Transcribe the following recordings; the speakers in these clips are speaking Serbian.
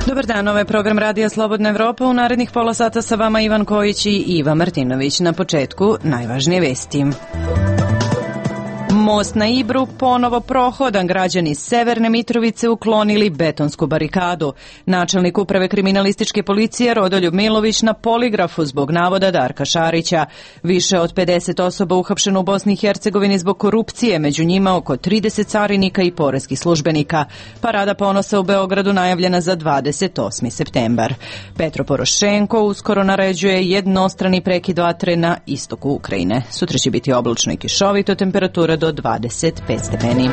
Dobar dan, ovo je program Radija Slobodna Evropa. U narednih pola sata sa vama Ivan Kojić i Iva Martinović. Na početku najvažnije vesti. Most na Ibru ponovo prohodan. Građani Severne Mitrovice uklonili betonsku barikadu. Načelnik uprave kriminalističke policije Rodoljub Milović na poligrafu zbog navoda Darka Šarića. Više od 50 osoba uhapšeno u Bosni i Hercegovini zbog korupcije, među njima oko 30 carinika i poreskih službenika. Parada ponosa u Beogradu najavljena za 28. septembar. Petro Porošenko uskoro naređuje jednostrani prekid vatre na istoku Ukrajine. Sutra će biti oblačno i kišovito, temperatura do 25 stepeni.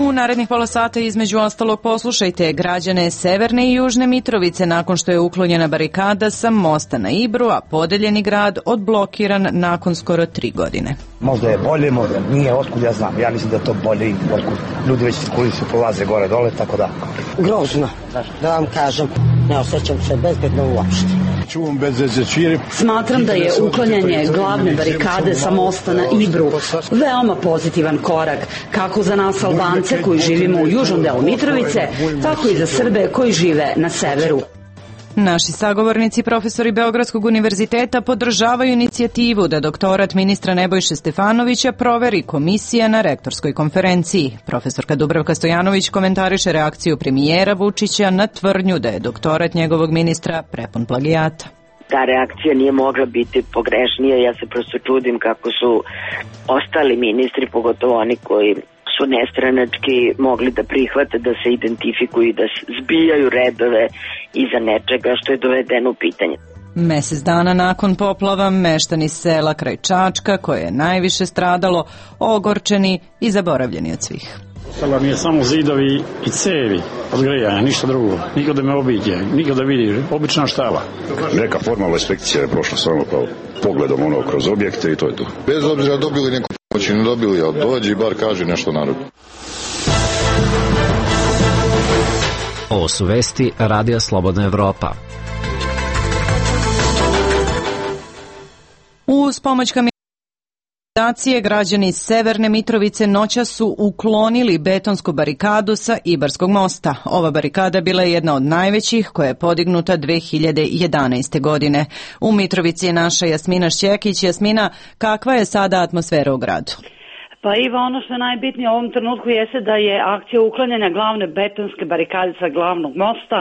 U narednih pola sata između ostalog poslušajte građane Severne i Južne Mitrovice nakon što je uklonjena barikada sa mosta na Ibru, a podeljeni grad odblokiran nakon skoro 3 godine. Možda je bolje, možda nije, otkud ja znam. Ja mislim da je to bolje i otkud ljudi već koji se prolaze gore dole, tako da. Grozno, da vam kažem, ne osjećam se bezbedno uopšte. Smatram da je uklanjanje glavne barikade sa mosta na Ibru veoma pozitivan korak, kako za nas Albance koji živimo u južnom delu Mitrovice, tako i za Srbe koji žive na severu. Naši sagovornici, profesori Beogradskog univerziteta, podržavaju inicijativu da doktorat ministra Nebojše Stefanovića proveri komisija na rektorskoj konferenciji. Profesorka Dubravka Stojanović komentariše reakciju premijera Vučića na tvrdnju da je doktorat njegovog ministra prepun plagijata. Ta reakcija nije mogla biti pogrešnija. Ja se prosto čudim kako su ostali ministri, pogotovo oni koji su nestranački, mogli da prihvate, da se identifikuju i da zbijaju redove iza nečega što je dovedeno u pitanje. Mesec dana nakon poplava meštani sela kraj Čačka, koje je najviše stradalo, ogorčeni i zaboravljeni od svih. Ostalo mi je samo zidovi i cevi od grejanja, ništa drugo. Niko da me obiđe, niko da vidi, obična štala. Neka formalna inspekcija je prošla samo kao pogledom kroz objekte i to je to. Bez obzira dobili neku pomoć, ne dobili, ali dođi i bar kaži nešto narodu. Ovo su vesti Radija Slobodna Evropa. Uz pomoć građani Severne Mitrovice noćas su uklonili betonsku barikadu sa Ibarskog mosta. Ova barikada bila je jedna od najvećih koja je podignuta 2011. godine. U Mitrovici je naša Jasmina Šćekić. Jasmina, kakva je sada atmosfera u gradu? Pa Iva, ono što je najbitnije u ovom trenutku jeste da je akcija uklanjanja glavne betonske barikade sa glavnog mosta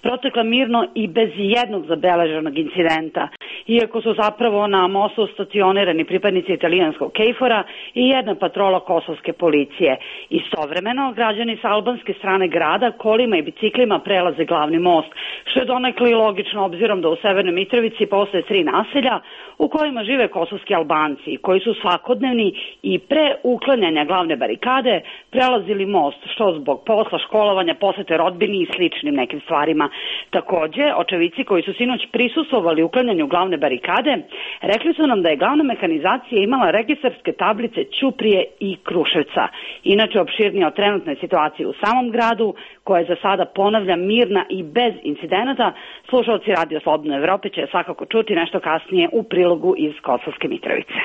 protekla mirno i bez jednog zabeleženog incidenta, iako su zapravo na mostu stacionirani pripadnici italijanskog KFOR-a i jedna patrola kosovske policije. Istovremeno, građani sa albanske strane grada kolima i biciklima prelaze glavni most, što je donekle i logično obzirom da u Severnoj Mitrovici postoje 3 naselja u kojima žive kosovski Albanci, koji su svakodnevni i pre uklanjanja glavne barikade prelazili most, što zbog posla, školovanja, posete rodbini i sličnim nekim stvarima. Takođe, očevici koji su sinoć prisustvovali uklanjanju glavne barikade, rekli su nam da je glavna mehanizacija imala registarske tablice Ćuprije i Kruševca. Inače, opširnije o trenutnoj situaciji u samom gradu, koja je za sada, ponavlja, mirna i bez incidenata, slušalci Radio Slobodne Evrope će svakako čuti nešto kasnije u prilogu iz Kosovske Mitrovice.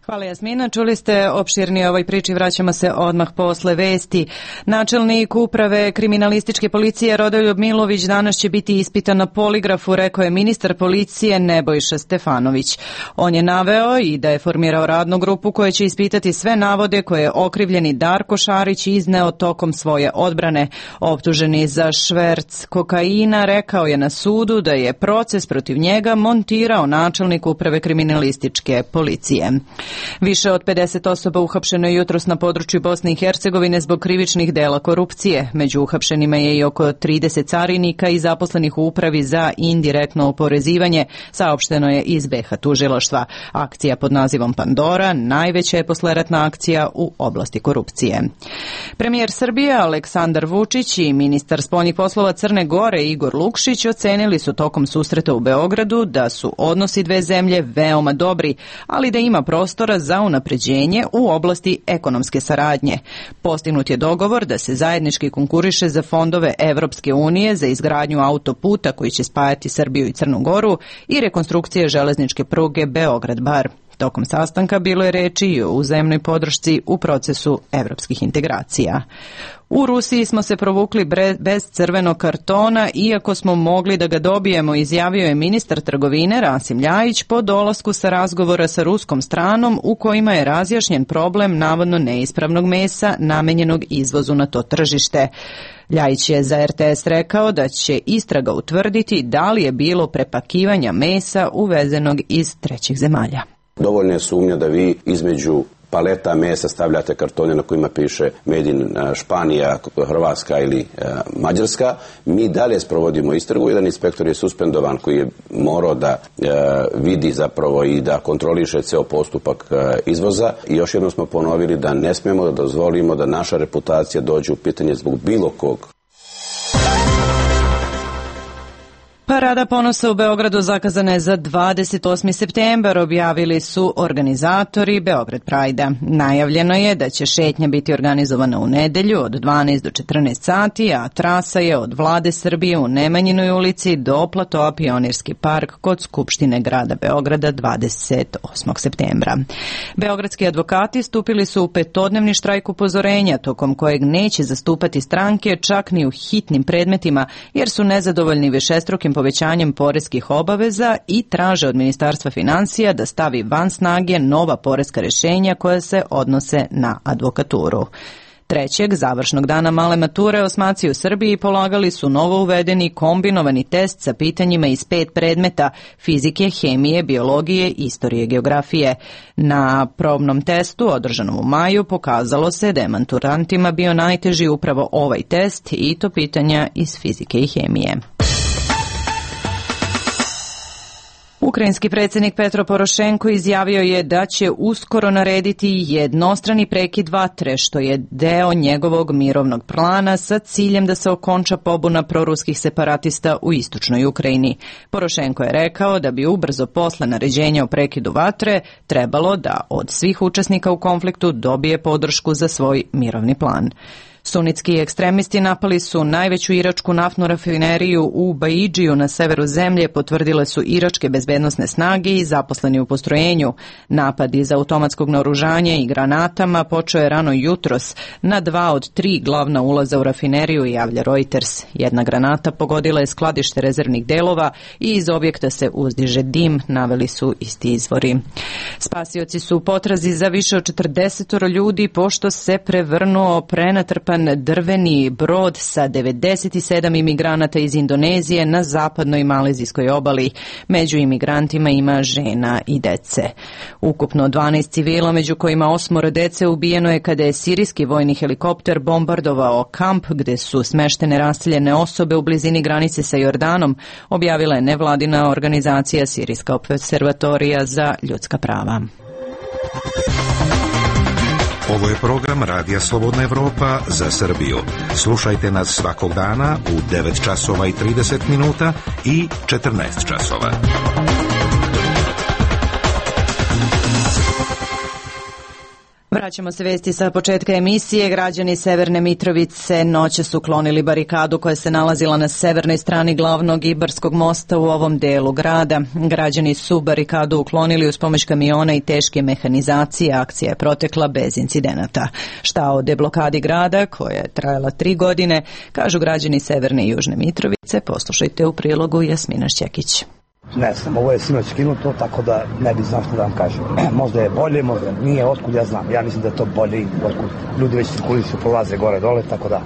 Hvala Jasmina, čuli ste opširnije ovoj priči, vraćamo se odmah posle vesti. Načelnik uprave kriminalističke policije Rodoljub Milović danas će biti ispitan na poligrafu, rekao je ministar policije Nebojša Stefanović. On je naveo i da je formirao radnu grupu koja će ispitati sve navode koje je okrivljeni Darko Šarić izneo tokom svoje odbrane. Optuženi za šverc kokaina rekao je na sudu da je proces protiv njega montirao načelnik uprave kriminalističke policije. Više od 50 osoba uhapšeno je jutros na području Bosne i Hercegovine zbog krivičnih dela korupcije. Među uhapšenima je i oko 30 carinika i zaposlenih u upravi za indirektno oporezivanje, saopšteno je iz BiH tužilaštva. Akcija pod nazivom Pandora najveća je posleratna akcija u oblasti korupcije. Premijer Srbije Aleksandar Vučić i ministar spoljnih poslova Crne Gore Igor Lukšić ocenili su tokom susreta u Beogradu da su odnosi dve zemlje veoma dobri, ali da ima prostora prostora za unapređenje u oblasti ekonomske saradnje. Postignut je dogovor da se zajednički konkuriše za fondove Evropske unije za izgradnju autoputa koji će spajati Srbiju i Crnu Goru i rekonstrukcije železničke pruge Beograd-Bar. Tokom sastanka bilo je reči i o uzajamnoj podršci u procesu evropskih integracija. U Rusiji smo se provukli bez crvenog kartona, iako smo mogli da ga dobijemo, izjavio je ministar trgovine Rasim Ljajić po dolasku sa razgovora sa ruskom stranom u kojima je razjašnjen problem navodno neispravnog mesa namenjenog izvozu na to tržište. Ljajić je za RTS rekao da će istraga utvrditi da li je bilo prepakivanja mesa uvezenog iz trećih zemalja. Dovoljna je sumnja da vi između paleta mesa stavljate kartone na kojima piše Made in Španija, Hrvatska ili Mađarska. Mi dalje sprovodimo istragu. Jedan inspektor je suspendovan koji je morao da vidi zapravo i da kontroliše ceo postupak izvoza. I još jednom smo ponovili da ne smemo da dozvolimo da naša reputacija dođe u pitanje zbog bilo kog. Parada ponosa u Beogradu zakazana je za 28. septembar, objavili su organizatori Beograd Prajda. Najavljeno je da će šetnja biti organizovana u nedelju od 12 do 14 sati, a trasa je od Vlade Srbije u Nemanjinoj ulici do platoa Pionirski park kod Skupštine grada Beograda 28. septembra. Beogradski advokati stupili su u petodnevni štrajk upozorenja, tokom kojeg neće zastupati stranke čak ni u hitnim predmetima, jer su nezadovoljni višestrukim povećanjem poreskih obaveza i traže od Ministarstva finansija da stavi van snage nova poreska rješenja koja se odnose na advokaturu. Trećeg, završnog dana male mature, osmaci u Srbiji polagali su novo uvedeni kombinovani test sa pitanjima iz 5 predmeta: fizike, hemije, biologije, istorije, geografije. Na probnom testu, održanom u maju, pokazalo se da je maturantima bio najteži upravo ovaj test i to pitanja iz fizike i hemije. Ukrajinski predsjednik Petro Porošenko izjavio je da će uskoro narediti jednostrani prekid vatre, što je deo njegovog mirovnog plana sa ciljem da se okonča pobuna proruskih separatista u istočnoj Ukrajini. Porošenko je rekao da bi ubrzo posle naređenja o prekidu vatre trebalo da od svih učesnika u konfliktu dobije podršku za svoj mirovni plan. Sunitski ekstremisti napali su najveću iračku naftnu rafineriju u Baidžiju na severu zemlje, potvrdile su iračke bezbednosne snage i zaposleni u postrojenju. Napad iz automatskog naoružanja i granatama počeo je rano jutros na 2 od 3 glavna ulaza u rafineriju, javlja Reuters. Jedna granata pogodila je skladište rezervnih delova i iz objekta se uzdiže dim, naveli su isti izvori. Spasioci su u potrazi za više od 40 ljudi pošto se prevrnuo prenatrpan drveni brod sa 97 imigranata iz Indonezije na zapadnoj malezijskoj obali. Među imigrantima ima žena i dece. Ukupno 12 civila, među kojima 8 dece, ubijeno je kada je sirijski vojni helikopter bombardovao kamp gde su smeštene raseljene osobe u blizini granice sa Jordanom, objavila je nevladina organizacija Sirijska observatorija za ljudska prava. Ovo je program Radija Slobodna Evropa za Srbiju. Slušajte nas svakog dana u 9 časova i 30 minuta i 14 časova. Vraćamo se vesti sa početka emisije. Građani Severne Mitrovice noće su uklonili barikadu koja se nalazila na severnoj strani glavnog Ibarskog mosta u ovom delu grada. Građani su barikadu uklonili uz pomoć kamiona i teške mehanizacije. Akcija je protekla bez incidenata. Šta o deblokadi grada, koja je trajala 3 godine, kažu građani Severne i Južne Mitrovice. Poslušajte u prilogu Jasmina Šćekić. Ne znam, ovo je sinoć skinuto, tako da ne bi znam što da vam kažem. Možda je bolje, možda nije, otkud ja znam. Ja mislim da je to bolje i otkud ljudi već cirkulicu prolaze gore dole, tako da...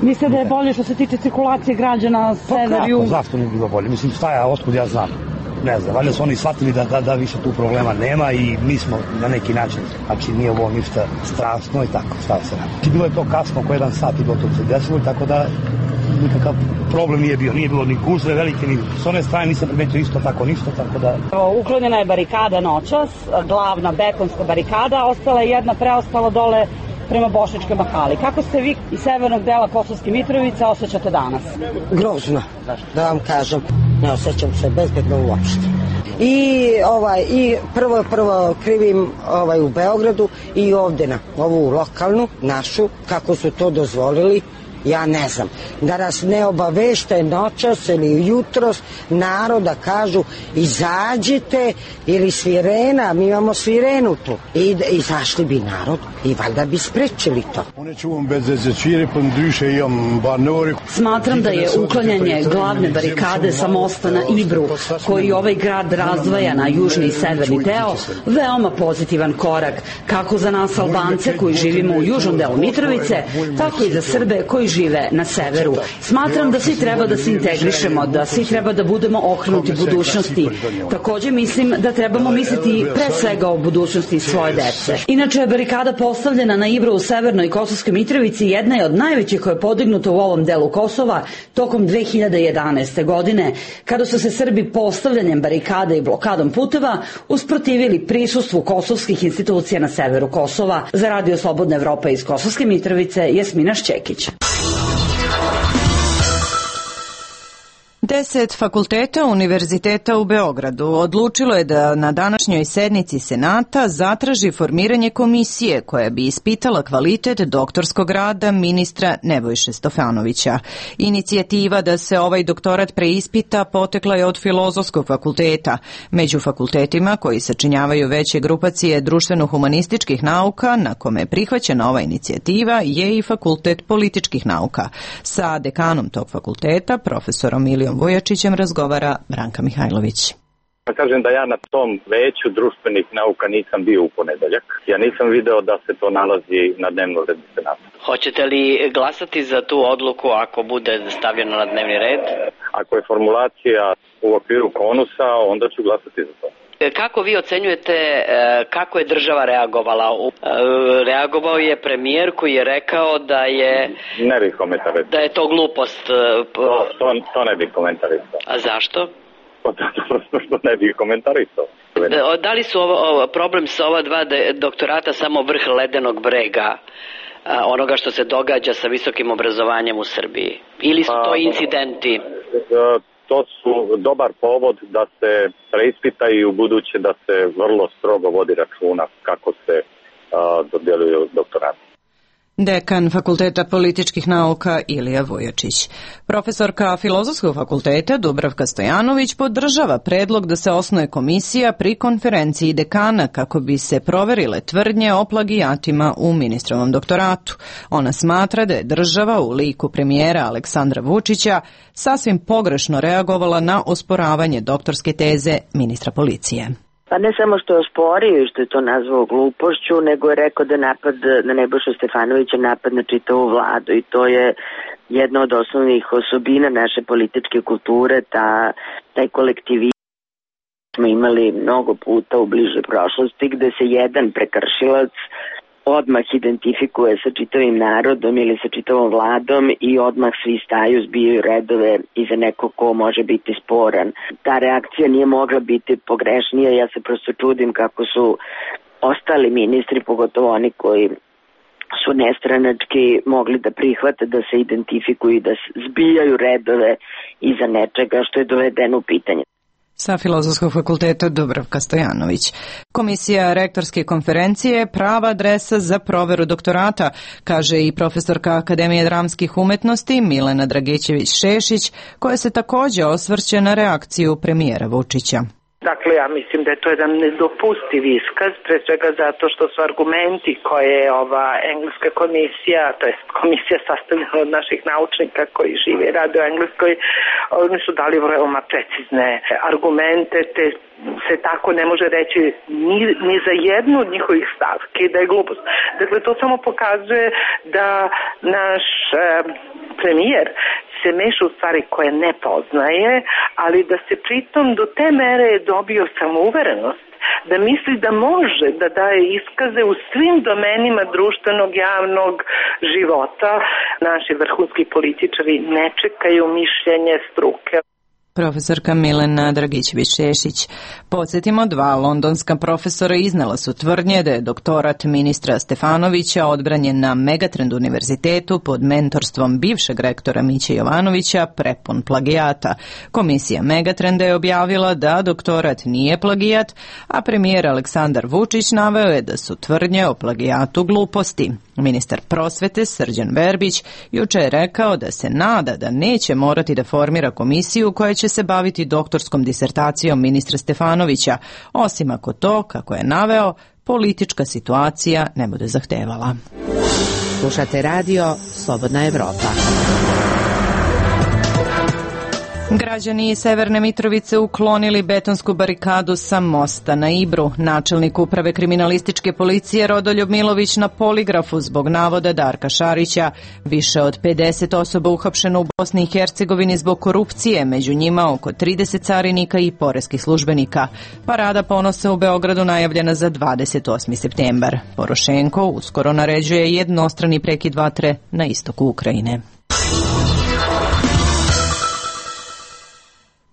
Mislite da je bolje što se tiče cirkulacije građana sever, jug? Zašto nije bilo bolje? Mislim, šta ja, otkud ja znam? Ne znam, valjda su oni shvatili da više tu problema nema i mi smo na neki način, znači nije ovo ništa strašno i tako, šta se radi. Bilo je to kasno, oko 1 sat i gotovo se desilo, tako da nikakav problem nije bio. Nije bilo ni gužve velike, ni s one strane nisam primetio isto tako ništa, tako da... Uklonjena je barikada noćas, glavna betonska barikada, ostala je jedna preostala dole prema Bošničkoj mahali. Kako se vi iz severnog dela Kosovske Mitrovice osjećate danas? Grozno, da vam kažem. Ne osjećam se bezbedno uopšte. I prvo krivim u Beogradu i ovde na ovu lokalnu, našu, kako su to dozvolili. Ja ne znam, da nas ne obavešte noćas ili jutros naroda kažu izađite ili sirena, mi imamo sirenu tu i izašli bi narod i valjda bi sprečili to. Smatram da je uklanjanje glavne barikade sa mosta na Ibru, koji ovaj grad razdvaja na južni i severni deo, veoma pozitivan korak, kako za nas Albance koji živimo u južnom delu Mitrovice, tako i za Srbe koji žive na severu. Smatram da svi treba da se integrišemo, da svi treba da budemo okrenuti budućnosti. Takođe mislim da trebamo misliti pre svega o budućnosti svoje dece. Inače, barikada postavljena na Ibru u severnoj Kosovskoj Mitrovici jedna je od najvećih koja je podignuta u ovom delu Kosova tokom 2011. godine, kada su se Srbi postavljanjem barikade i blokadom puteva usprotivili prisustvu kosovskih institucija na severu Kosova. Za Radio Slobodna Evropa iz Kosovske Mitrovice, Jasmina Šćekić. 10 fakulteta Univerziteta u Beogradu odlučilo je da na današnjoj sednici Senata zatraži formiranje komisije koja bi ispitala kvalitet doktorskog rada ministra Nebojše Stefanovića. Inicijativa da se ovaj doktorat preispita potekla je od Filozofskog fakulteta. Među fakultetima koji sačinjavaju veće grupacije društveno-humanističkih nauka na kome je prihvaćena ova inicijativa je i Fakultet političkih nauka. Sa dekanom tog fakulteta, profesorom Milijom Vujačićem, razgovara Branka Mihajlović. Kažem da ja na tom veću društvenih nauka nisam bio u ponedeljak. Ja nisam video da se to nalazi na dnevnom redu Senata. Hoćete li glasati za tu odluku ako bude stavljeno na dnevni red? Ako je formulacija u okviru konusa, onda ću glasati za to. Kako vi ocenjujete kako je država reagovala? Reagovao je premijer koji je rekao da je... Ne bih komentarisao. Da je to glupost. To ne bih komentarisao. A zašto? Prosto što ne bih komentarisao. Da li su problem sa ova dva doktorata samo vrh ledenog brega onoga što se događa sa visokim obrazovanjem u Srbiji? Ili su to incidenti? To su dobar povod da se preispita i u buduće da se vrlo strogo vodi računa kako se dodjeljuju doktorati. Dekan Fakulteta političkih nauka Ilija Vujačić. Profesorka Filozofskog fakulteta Dubravka Stojanović podržava predlog da se osnuje komisija pri konferenciji dekana kako bi se proverile tvrdnje o plagijatima u ministrovom doktoratu. Ona smatra da je država u liku premijera Aleksandra Vučića sasvim pogrešno reagovala na osporavanje doktorske teze ministra policije. Pa ne samo što je osporio i što je to nazvao glupošću, nego je rekao da napad na Nebojšu Stefanovića napad na čitavu vladu i to je jedna od osnovnih osobina naše političke kulture, taj kolektivizam smo imali mnogo puta u bližoj prošlosti gde se jedan prekršilac odmah identifikuje sa čitavim narodom ili sa čitavom vladom i odmah svi staju, zbijaju redove iza nekog ko može biti sporan. Ta reakcija nije mogla biti pogrešnija, ja se prosto čudim kako su ostali ministri, pogotovo oni koji su nestranački, mogli da prihvate da se identifikuju i da zbijaju redove iza nečega što je dovedeno u pitanje. Sa Filozofskog fakulteta Dubravka Stojanović. Komisija rektorske konferencije je prava adresa za proveru doktorata, kaže i profesorka Akademije dramskih umetnosti Milena Dragićević-Šešić, koja se takođe osvrće na reakciju premijera Vučića. Dakle, ja mislim da je to jedan nedopustiv iskaz, pre svega zato što su argumenti koje je ova engleska komisija, to je komisija sastavljena od naših naučnika koji žive i rade u Engleskoj, oni su dali veoma precizne argumente, te se tako ne može reći ni za jednu od njihovih stavki da je glupost. Dakle, to samo pokazuje da naš premijer se meša u stvari koje ne poznaje, ali da se pritom do te mere je dobio samouverenost da misli da može da daje iskaze u svim domenima društvenog, javnog života. Naši vrhunski političari ne čekaju mišljenje struke. Profesorka Milena Dragićević-Šešić. Podsjetimo, 2 londonska profesora iznela su tvrdnje da je doktorat ministra Stefanovića odbranjen na Megatrend univerzitetu pod mentorstvom bivšeg rektora Miće Jovanovića prepun plagijata. Komisija Megatrenda je objavila da doktorat nije plagijat, a premijer Aleksandar Vučić naveo je da su tvrdnje o plagijatu gluposti. Ministar prosvete Srđan Verbić juče je rekao da se nada da neće morati da formira komisiju koja će se baviti doktorskom disertacijom ministra Stefanovića, osim ako to, kako je naveo, politička situacija ne bude zahtevala. Slušate radio Slobodna Evropa. Građani Severne Mitrovice uklonili betonsku barikadu sa mosta na Ibru. Načelnik uprave kriminalističke policije Rodoljub Milović na poligrafu zbog navoda Darka Šarića. Više od 50 osoba uhapšeno u Bosni i Hercegovini zbog korupcije, među njima oko 30 carinika i poreskih službenika. Parada ponosa u Beogradu najavljena za 28. septembar. Porošenko uskoro naređuje jednostrani prekid vatre na istoku Ukrajine.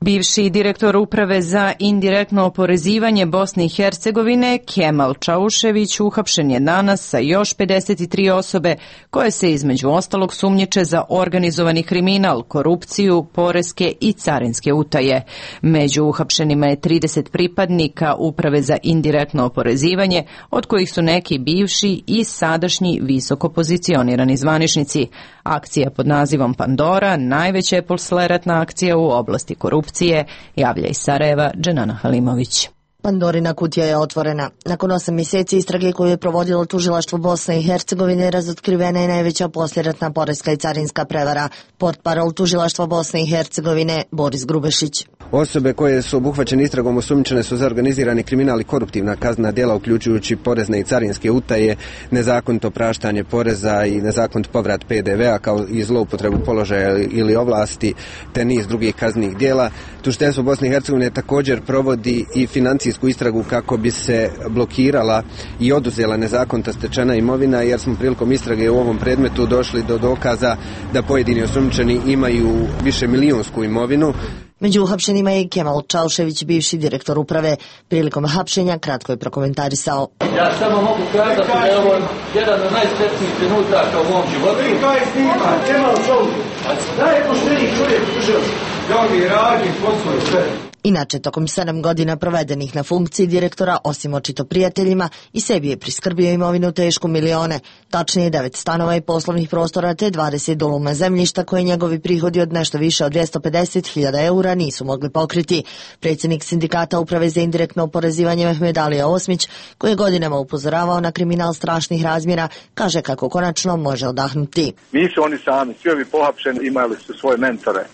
Bivši direktor uprave za indirektno oporezivanje Bosne i Hercegovine Kemal Čaušević uhapšen je danas sa još 53 osobe koje se između ostalog sumnjiče za organizovani kriminal, korupciju, poreske i carinske utaje. Među uhapšenima je 30 pripadnika uprave za indirektno oporezivanje, od kojih su neki bivši i sadašnji visoko pozicionirani zvaničnici. Akcija pod nazivom Pandora najveća je posleratna akcija u oblasti korupcije, javlja iz Sarajeva Dženana Halimović. Pandorina kutija je otvorena. Nakon 8 mjeseci istrage koju je provodilo tužilaštvo Bosne i Hercegovine, razotkrivena je najveća poslijeratna poreska i carinska prevara. Portparol tužilaštva Bosne i Hercegovine Boris Grubešić. Osobe koje su obuhvaćene istragom osumnjičene su za organizirani kriminal i koruptivna kaznena djela, uključujući porezne i carinske utaje, nezakonito praštanje poreza i nezakonit povrat PDV-a kao i zloupotrebu položaja ili ovlasti, te niz drugih kaznenih djela. Tužiteljstvo Bosne i Hercegovine također provodi i financijsku istragu kako bi se blokirala i oduzela nezakonita stečena imovina, jer smo prilikom istrage u ovom predmetu došli do dokaza da pojedini osumnjičeni imaju više milijunsku imovinu. Među uhapšenima je i Kemal Čaušević, bivši direktor uprave. Prilikom hapšenja kratko je prokomentarisao. Ja samo mogu kazati da je ovo jedan od najsretnijih trenutaka u mom životu. Kaj snima, Kemal Čaušević, najpošteniji čovjek u državi. Ja mi radim posao sve. Inače, tokom 7 godina provedenih na funkciji direktora, osim očito prijateljima, i sebi je priskrbio imovinu tešku milione, tačnije 9 stanova i poslovnih prostora te 20 duluma zemljišta koje njegovi prihodi od nešto više od 250.000 eura nisu mogli pokriti. Predsjednik sindikata uprave za indirektno oporezivanje Mehmed Alija Osmić, koji je godinama upozoravao na kriminal strašnih razmjera, kaže kako konačno može odahnuti. Nisu oni sami, svi ovi pohapšeni imali su svoje mentore.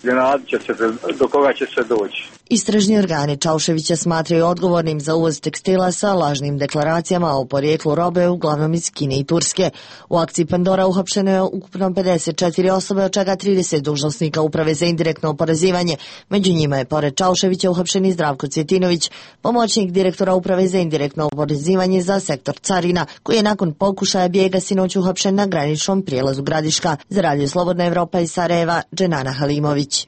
Do koga će se doći? Istražni organi Čauševića smatraju odgovornim za uvoz tekstila sa lažnim deklaracijama o porijeklu robe, uglavnom iz Kine i Turske. U akciji Pandora uhapšeno je ukupno 54 osobe, od čega 30 dužnosnika uprave za indirektno oporezivanje. Među njima je pored Čauševića uhapšen i Zdravko Cvjetinović, pomoćnik direktora uprave za indirektno oporezivanje za sektor carina, koji je nakon pokušaja bijega sinoć uhapšen na graničnom prijelazu Gradiška. Za Radio Slobodna Evropa iz Sarajeva, Dženana Halimović.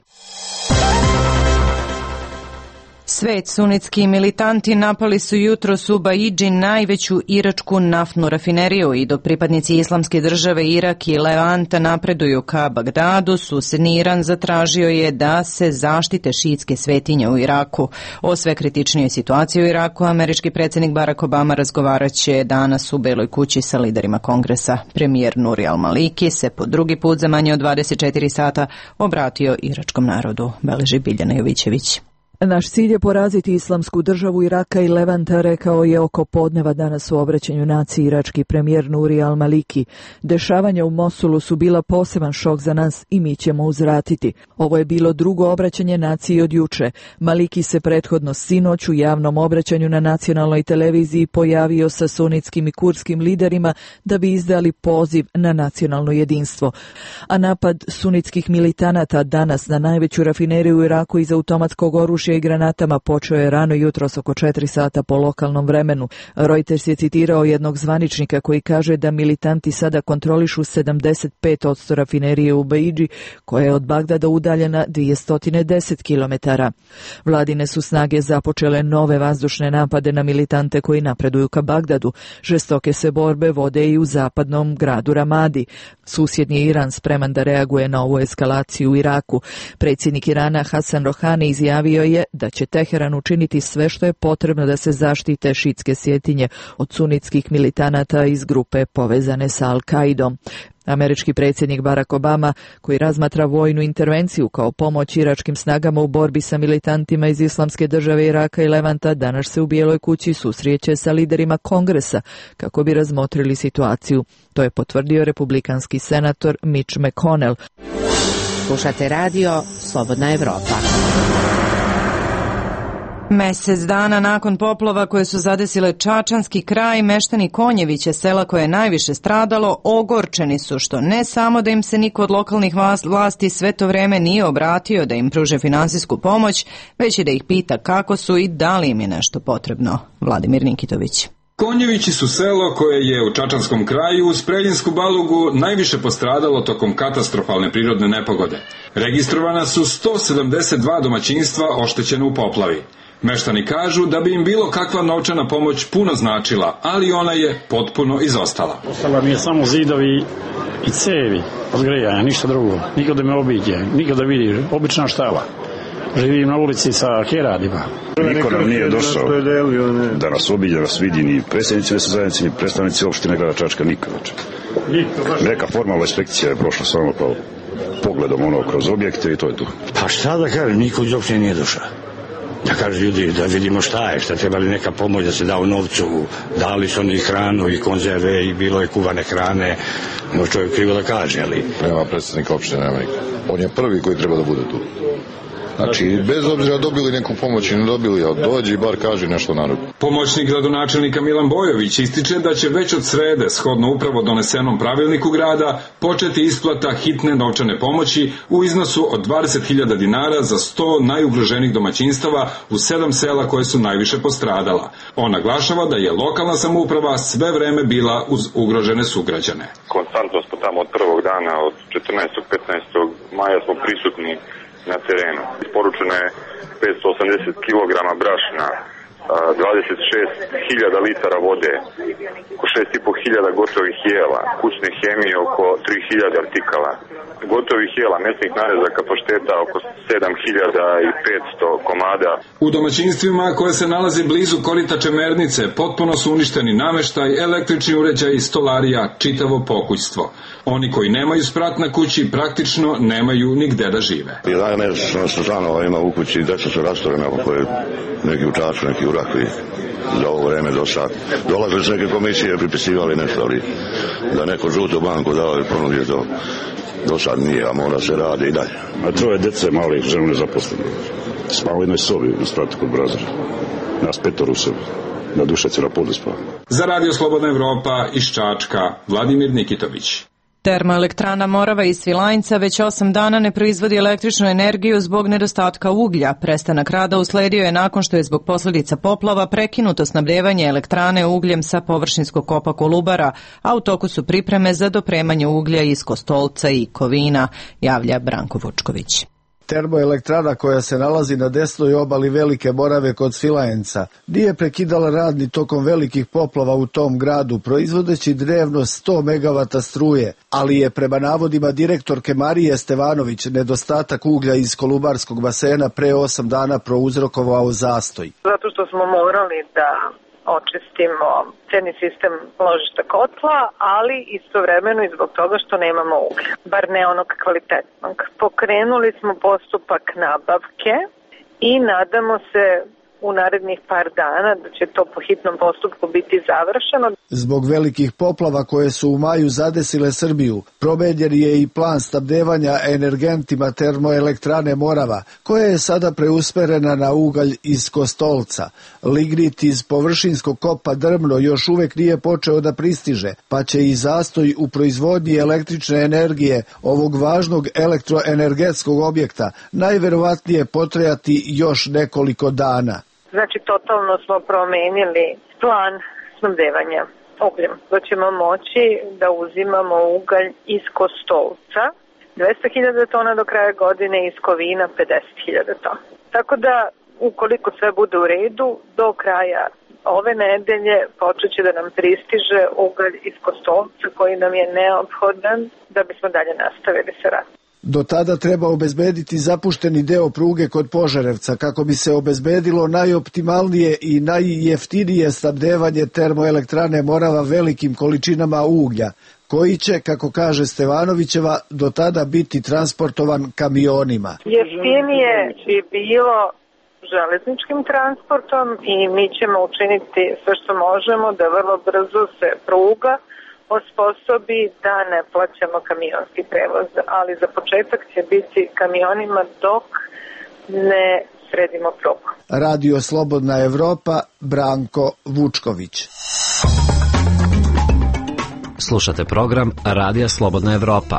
Svet sunitski militanti napali su jutros u Baidži najveću iračku naftnu rafineriju i dok pripadnici Islamske države Irak i Levanta napreduju ka Bagdadu, susedni Iran zatražio je da se zaštite šiitske svetinje u Iraku. O sve kritičnijoj situaciji u Iraku američki predsjednik Barack Obama razgovaraće danas u Beloj kući sa liderima kongresa. Premijer Nuri al-Maliki se po drugi put za manje od 24 sata obratio iračkom narodu, beleži Biljana Jovićević. Naš cilj je poraziti Islamsku državu Iraka i Levanta, rekao je oko podneva danas u obraćanju naciji irački premijer Nuri al-Maliki. Dešavanja u Mosulu su bila poseban šok za nas i mi ćemo uzvratiti. Ovo je bilo drugo obraćanje naciji od juče. Maliki se prethodno sinoć u javnom obraćanju na nacionalnoj televiziji pojavio sa sunitskim i kurskim liderima da bi izdali poziv na nacionalno jedinstvo. A napad sunitskih militanata danas na najveću rafineriju u Iraku iz automatskog oružja događaj granatama počeo je rano jutros oko 4 sata po lokalnom vremenu. Reuters je citirao jednog zvaničnika koji kaže da militanti sada kontrolišu 75% rafinerije u Beidži, koja je od Bagdada udaljena 210 km. Vladine su snage započele nove vazdušne napade na militante koji napreduju ka Bagdadu. Žestoke se borbe vode i u zapadnom gradu Ramadi. Susjedni Iran spreman da reaguje na ovu eskalaciju u Iraku. Predsjednik Irana Hasan Rohani izjavio je da će Teheran učiniti sve što je potrebno da se zaštite šitske sjetinje od sunitskih militanata iz grupe povezane sa Al-Kaidom. Američki predsjednik Barack Obama, koji razmatra vojnu intervenciju kao pomoć iračkim snagama u borbi sa militantima iz Islamske države Iraka i Levanta, danas se u Bijeloj kući susreće sa liderima Kongresa kako bi razmotrili situaciju. To je potvrdio republikanski senator Mitch McConnell. Slušate radio Slobodna Evropa. Mesec dana nakon poplava koje su zadesile Čačanski kraj, meštani Konjevića, sela koje je najviše stradalo, ogorčeni su što ne samo da im se niko od lokalnih vlasti sve to vreme nije obratio da im pruže finansijsku pomoć, već i da ih pita kako su i da li im je nešto potrebno. Vladimir Nikitović. Konjevići su selo koje je u Čačanskom kraju uz Preljinsku Balugu najviše postradalo tokom katastrofalne prirodne nepogode. Registrovana su 172 domaćinstva oštećene u poplavi. Meštani kažu da bi im bilo kakva novčana pomoć puno značila, ali ona je potpuno izostala. Ostala mi je samo zidovi i cevi od grejanja, ništa drugo. Niko da me obiđe, niko da vidi, obična štala. Živim na ulici sa keradima. Niko nam nije došao da nas obiđe, da nas vidi, ni predsjednici mjesne zajednice, ni predstavnici opštine grada Čačka, niko. Neka formalna inspekcija je prošla samo kao pogledom kroz objekte i to je tu. Pa šta da kažem, niko iz opštine nije došao. Da kaže ljudi, da vidimo šta je, šta treba li neka pomoć da se da u novcu, dali su oni hranu i konzerve i bilo je kuvane hrane, no čovjek krivo da kaže, ali... Nema predsjednika opštine, nema nikog. On je prvi koji treba da bude tu. Znači, bez obzira dobili neku pomoć i ne dobili, ali dođi i bar kaži nešto narodu. Pomoćnik gradonačelnika Milan Bojović ističe da će već od srede, shodno upravo donesenom pravilniku grada, početi isplata hitne novčane pomoći u iznosu od 20.000 dinara za 100 najugroženih domaćinstava u 7 sela koje su najviše postradala. On naglašava da je lokalna samouprava sve vreme bila uz ugrožene sugrađane. Konstantno smo tamo od prvog dana, od 14. 15. maja smo prisutni na terenu. Isporučeno je 580 kg brašna, 26.000 litara vode, oko 6.500 gotovih jela, kućne hemije oko 3.000 artikala, gotovih jela, mesnih narezaka pašteta oko 7.500 komada. U domaćinstvima koje se nalazi blizu korita Čemernice potpuno su uništeni nameštaj, električni uređaj, stolarija, čitavo pokućstvo. Oni koji nemaju sprat na kući praktično nemaju nigde da žive. 11 članova ima u kući, deca su rastorena, ako je neki u Čaču, neki u Rakvi. Za ovo vreme do sad. Dolazili su neke komisije, pripisivali nešto, ali da neko žutu banku dao i ponudio to. Do sad nije, a mora se radi i dalje. A troje dece malih, ženu nezaposlene. Spava u jednoj sobi u spratu kod Brazara. Nas 5 u sobi. Na Dušaci na podu spava. Za Radio Slobodna Evropa iz Čačka, Vladimir Nikitović. Termoelektrana Morava iz Svilajnca već 8 dana ne proizvodi električnu energiju zbog nedostatka uglja. Prestanak rada usledio je nakon što je zbog posljedica poplava prekinuto snabdevanje elektrane ugljem sa površinskog kopa Kolubara, a u toku su pripreme za dopremanje uglja iz Kostolca i Kovina, javlja Branko Vučković. Termoelektrana koja se nalazi na desnoj obali Velike Morave kod Svilajnca nije prekidala rad ni tokom velikih poplava u tom gradu, proizvodeći dnevno 100 megavata struje, ali je prema navodima direktorke Marije Stevanović nedostatak uglja iz Kolubarskog basena pre 8 dana prouzrokovao zastoj. Zato što smo morali da očistimo cijeli sistem ložišta kotla, ali istovremeno i zbog toga što nemamo uglja, bar ne onog kvalitetnog. Pokrenuli smo postupak nabavke i nadamo se u narednih par dana, da će to po hitnom postupku biti završeno. Zbog velikih poplava koje su u maju zadesile Srbiju, promenjen je i plan snabdevanja energentima termoelektrane Morava, koja je sada preusmerena na ugalj iz Kostolca. Lignit iz površinskog kopa Drmno još uvek nije počeo da pristiže, pa će i zastoj u proizvodnji električne energije ovog važnog elektroenergetskog objekta najverovatnije potrajati još nekoliko dana. Znači, totalno smo promenili plan snabdevanja ugljem. Da ćemo moći da uzimamo ugalj iz Kostolca, 200.000 tona do kraja godine, iz Kovina 50.000 tona. Tako da, ukoliko sve bude u redu, do kraja ove nedelje počet će da nam pristiže ugalj iz Kostolca koji nam je neophodan da bismo dalje nastavili sa radom. Do tada treba obezbediti zapušteni deo pruge kod Požarevca kako bi se obezbedilo najoptimalnije i najjeftinije snabdevanje termoelektrane Morava velikim količinama uglja, koji će, kako kaže Stevanovićeva, do tada biti transportovan kamionima. Jeftinije bi bilo železničkim transportom i mi ćemo učiniti sve što možemo da vrlo brzo se pruga osposobi da ne plaćamo kamionski prevoz, ali za početak će biti kamionima dok ne sredimo prugu. Radio Slobodna Evropa, Branko Vučković. Slušate program Radija Slobodna Evropa.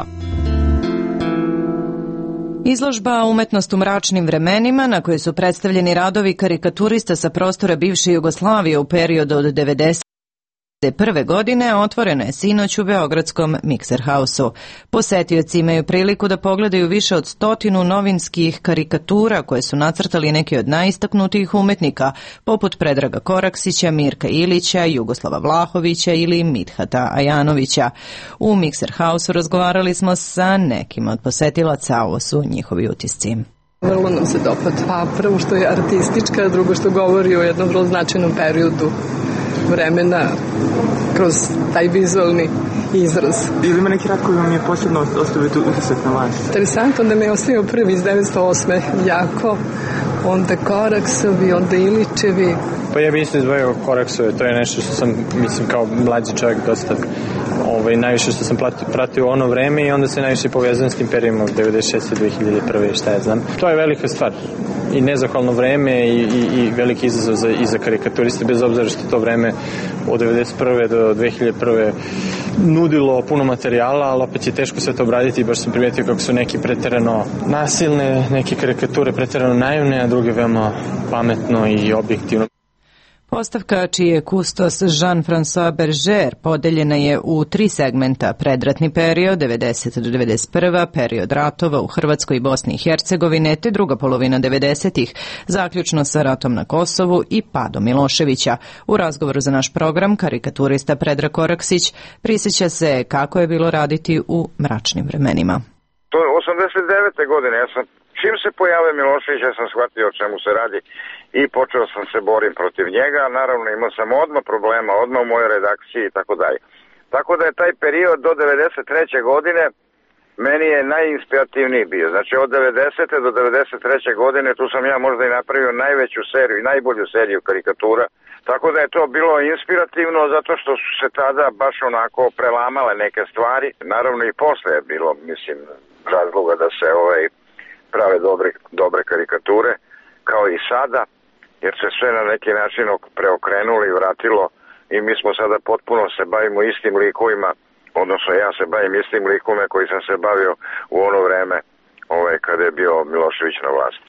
Izložba Umetnost u mračnim vremenima, na kojoj su predstavljeni radovi karikaturista sa prostora bivše Jugoslavije u periodu od 1991. godine, otvorena je sinoć u beogradskom Mikser Hausu. Posetioci imaju priliku da pogledaju više od 100 novinskih karikatura koje su nacrtali neki od najistaknutijih umetnika, poput Predraga Koraksića, Mirka Ilića, Jugoslava Vlahovića ili Midhata Ajanovića. U Mikser Hausu razgovarali smo sa nekim od posetilaca, ovo su njihovi utisci. Vrlo nam se dopada. Pa prvo što je artistička, drugo što govori o jednom vrlo značajnom periodu vremena kroz taj vizualni izraz. Ili ima neki rad koji vam je posebno ostavio utisak na vas? Interesantno da me je ostavio prvi iz 1908. jako, onda Koraksovi, onda Ilićevi. Pa ja bih isto izvojio Koraksove, to je nešto što sam, mislim, kao mlađi čovjek dosta najviše što sam pratio ono vreme i onda se najviše povezujem s tim periodom 96. 2001. šta ja znam. To je velika stvar i nezahvalno vreme i veliki izazov i za karikaturiste, bez obzira što to vreme od 1991. do 2001. nudilo puno materijala, ali opet je teško sve to obraditi i baš sam primijetio kako su neki preterano nasilne, neke karikature preterano naivne, a druge veoma pametno i objektivno. Postavka čiji je kustos Jean-François Berger podeljena je u 3 segmenta: predratni period 90. do 91. period ratova u Hrvatskoj i Bosni i Hercegovine te druga polovina 90-ih, zaključno sa ratom na Kosovu i padom Miloševića. U razgovoru za naš program karikaturista Predrag Koraksić prisjeća se kako je bilo raditi u mračnim vremenima. To je 89. godine, čim se pojavio Milošević, ja sam shvatio o čemu se radi i počeo sam se borim protiv njega. Naravno imao sam odmah problema, odmah u mojoj redakciji i tako dalje. Tako da je taj period do 93. godine meni je najinspirativniji bio. Znači od 90. do 93. godine tu sam ja možda i napravio najveću seriju i najbolju seriju karikatura. Tako da je to bilo inspirativno zato što su se tada baš onako prelamale neke stvari. Naravno i posle je bilo, mislim, razloga da se prave dobre karikature, kao i sada, jer se sve na neki način preokrenulo i vratilo i mi smo sada potpuno se bavimo istim likovima, odnosno ja se bavim istim likovima koji sam se bavio u ono vreme kada je bio Milošević na vlasti.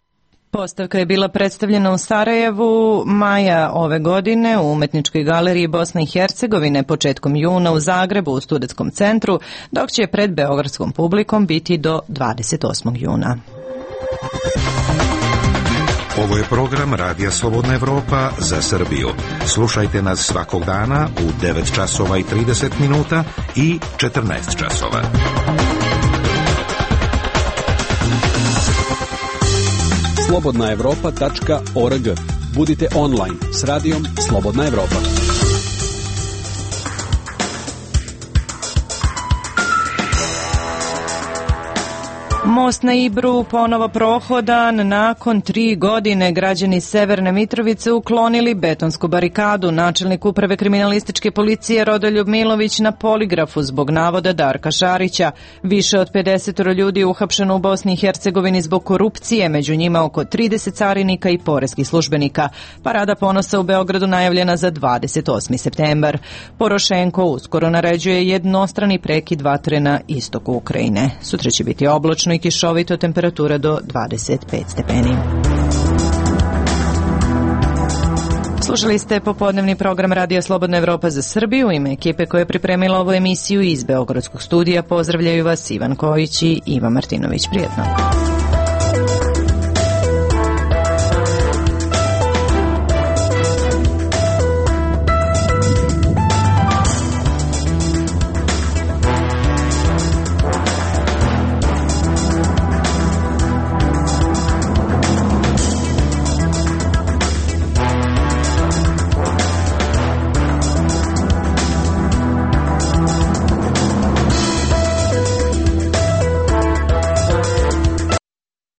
Postavka je bila predstavljena u Sarajevu maja ove godine, u Umetničkoj galeriji Bosne i Hercegovine početkom juna u Zagrebu u Studentskom centru, dok će pred beogradskom publikom biti do 28. juna. Ovo je program Radija Slobodna Evropa za Srbiju. Slušajte nas svakog dana u 9 časova i 30 minuta i 14 časova. slobodnaevropa.org. Budite online s radijom Slobodna Evropa. Most na Ibru ponovo prohodan. Nakon 3 godine građani Severne Mitrovice uklonili betonsku barikadu. Načelnik uprave kriminalističke policije Rodoljub Milović na poligrafu zbog navoda Darka Šarića. Više od 50 ljudi je uhapšeno u Bosni i Hercegovini zbog korupcije, među njima oko 30 carinika i poreskih službenika. Parada ponosa u Beogradu najavljena za 28. septembar. Porošenko uskoro naređuje jednostrani prekid vatre na istoku Ukrajine. Sutra će biti oblačno i kišovito, temperatura do 25 stepeni. Slušali ste popodnevni program Radija Slobodna Evropa za Srbiju. U ime ekipe koja je pripremila ovu emisiju iz Beogradskog studija pozdravljaju vas Ivan Kojić i Iva Martinović. Prijetno.